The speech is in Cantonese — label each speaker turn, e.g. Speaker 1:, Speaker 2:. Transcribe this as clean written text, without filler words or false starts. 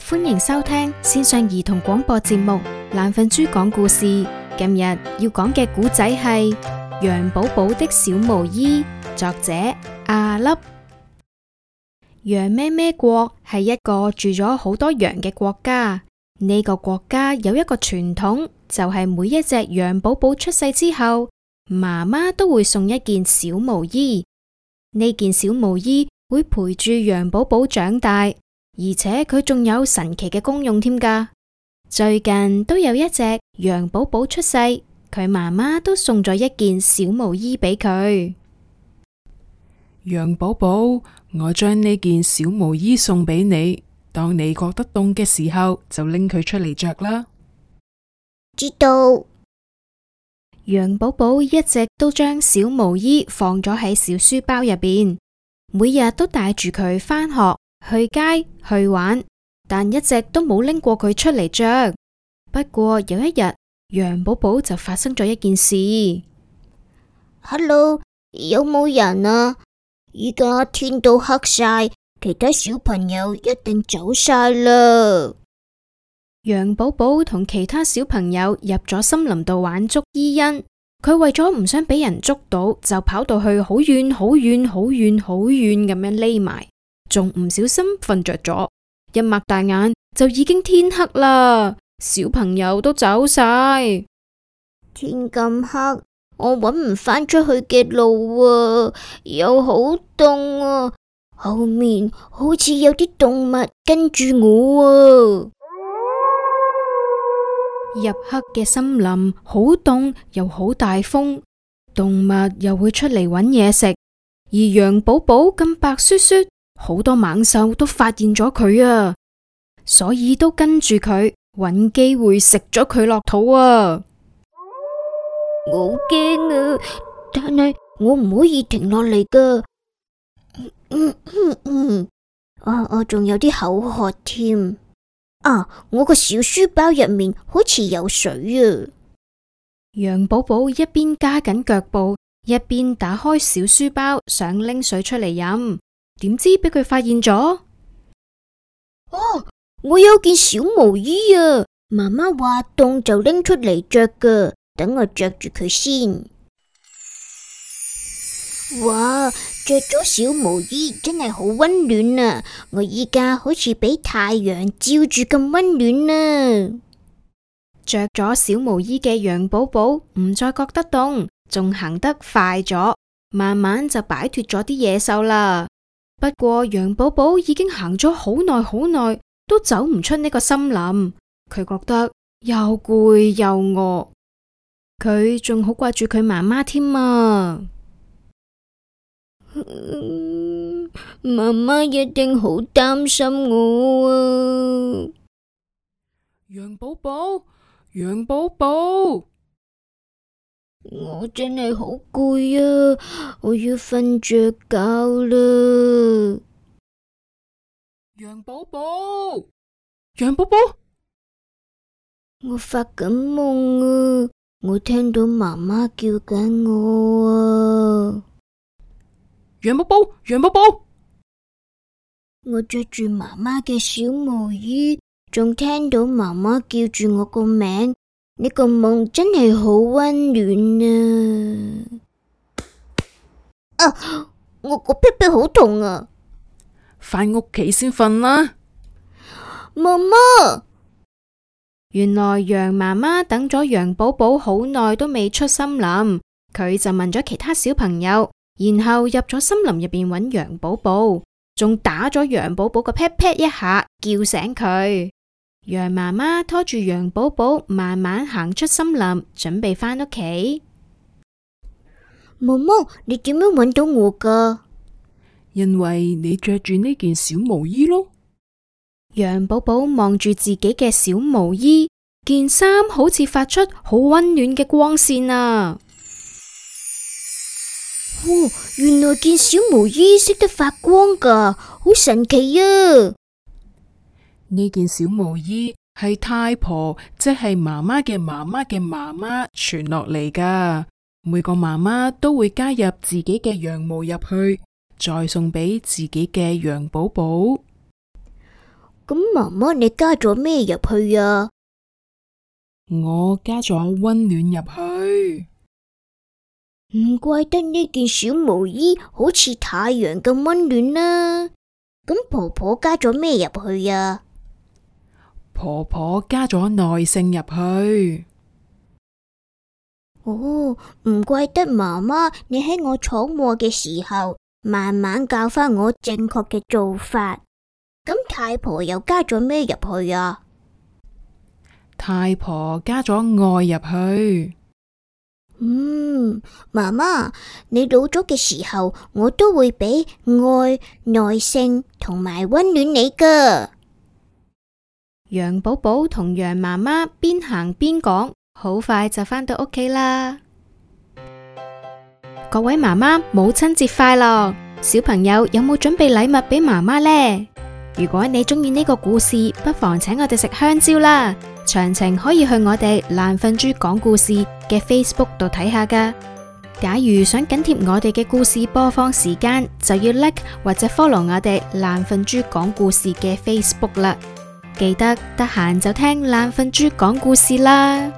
Speaker 1: 歡迎收聽線上兒童廣播節目《懶瞓豬講故事》。今日要講嘅故仔係羊寶寶的小毛衣，作者阿粒。羊咩咩國係一個住咗好多羊嘅國家。呢個國家有一個傳統，就係每一隻羊寶寶出世之後，媽媽都會送一件小毛衣。呢件小毛衣會陪住羊寶寶長大，而且佢仲有神奇嘅功用添㗎。最近都有一隻羊寶寶出世，佢媽媽都送咗一件小毛衣俾佢。
Speaker 2: 羊寶寶，我將呢件小毛衣送俾你，當你覺得凍嘅時候，就拎佢出嚟着啦。
Speaker 3: 知道。
Speaker 1: 羊寶寶一直都將小毛衣放咗喺小書包入邊，每日都帶住佢返學、去街、去玩，但一直都冇拎過佢出嚟着。不過有一日，羊寶寶就發生咗一件事。
Speaker 3: Hello， 有冇人啊？依家天都黑晒，其他小朋友一定走晒啦。
Speaker 1: 羊寶寶同其他小朋友入咗森林度玩捉伊人，佢為咗唔想俾人捉到，就跑到去好遠好遠好遠好遠咁樣匿埋，仲唔小心瞓着咗，一擘大眼就已經天黑啦，小朋友都走晒。
Speaker 3: 天咁黑，我搵唔返出去嘅路啊，又好凍啊，後面好似有啲動物跟住我啊。
Speaker 1: 入黑嘅森林好凍又好大風，動物又會出嚟搵嘢食，而羊寶寶咁白雪雪，好多猛獸都發現咗佢啊，所以都跟住佢搵機會食咗佢落肚啊。
Speaker 3: 我好驚啊，但係我唔可以停落嚟噶。我仲有啲口渴添。我個小書包入面好似有水啊！
Speaker 1: 羊寶寶一邊加緊腳步，一邊打開小書包，想拎水出嚟飲，點知俾佢發現咗。
Speaker 3: 我有件小毛衣啊！媽媽話凍就拎出嚟着噶，等我着住佢先。哇！着咗小毛衣真係好溫暖啊！我依家好似俾太陽照住咁溫暖啊！
Speaker 1: 着咗小毛衣嘅羊寶寶唔再覺得凍，仲行得快咗，慢慢就擺脫咗啲野獸啦。不過羊寶寶已經行咗好耐好耐，都走唔出呢個森林。佢覺得又攰又餓，佢仲好掛住佢媽媽添啊！
Speaker 3: 媽媽一定好擔心我啊！
Speaker 2: 羊寶寶，羊寶寶，
Speaker 3: 我真係好攰啊！我要瞓着覺啦！
Speaker 2: 羊寶寶，羊寶寶，
Speaker 3: 我發緊夢啊！我聽到媽媽叫緊我啊！
Speaker 2: 羊寶寶，羊寶寶，
Speaker 3: 我着住媽媽嘅小毛衣，仲聽到媽媽叫住我個名，呢個夢真係好溫暖啊！我個屁屁好痛啊！
Speaker 2: 返屋企先瞓啦。
Speaker 3: 媽媽，
Speaker 1: 原來羊媽媽等咗羊寶寶好耐都未出森林，佢就問咗其他小朋友，然後入咗森林入邊揾羊寶寶，仲打咗羊寶寶個 pat pat 一下，叫醒佢。羊媽媽拖住羊寶寶慢慢行出森林，準備返屋企。
Speaker 3: 媽媽，你點樣揾到我噶？
Speaker 2: 因為你着住呢件小毛衣咯。
Speaker 1: 羊寶寶望住自己嘅小毛衣，件衫好似發出好溫暖嘅光線啊！
Speaker 3: 原來件小毛衣識得發光噶，好神奇啊！
Speaker 2: 呢件小毛衣係太婆，即係媽媽嘅媽媽嘅媽媽傳落嚟噶。每個媽媽都會加入自己嘅羊毛入去，再送俾自己嘅羊寶寶。
Speaker 3: 咁媽媽你加咗咩入去啊？
Speaker 2: 我加咗溫暖入去。
Speaker 3: 唔怪得呢件小毛衣好似太陽咁溫暖啦。咁婆婆加咗咩入去啊？
Speaker 2: 婆婆加咗耐性入去。
Speaker 3: 哦，唔怪得媽媽你喺我闖禍嘅時候，慢慢教返我正確嘅做法。咁太婆又加咗咩入去啊？
Speaker 2: 太婆加咗愛入去。
Speaker 3: 媽媽，你老咗嘅時候，我都會俾愛、耐性同埋溫暖你噶。
Speaker 1: 羊寶寶同羊媽媽邊行邊講，好快就返到屋企啦。各位媽媽，母親節快樂！小朋友有冇準備禮物俾媽媽呢？如果你鍾意呢個故事，不妨請我哋食香蕉啦。詳情可以去我哋懶瞓豬講故事嘅 Facebook 度睇下㗎。假如想緊貼我哋嘅故事播放時間，就要 like 或者 follow 我哋懶瞓豬講故事嘅 Facebook 啦。記得得閒就聽懶瞓豬講故事啦。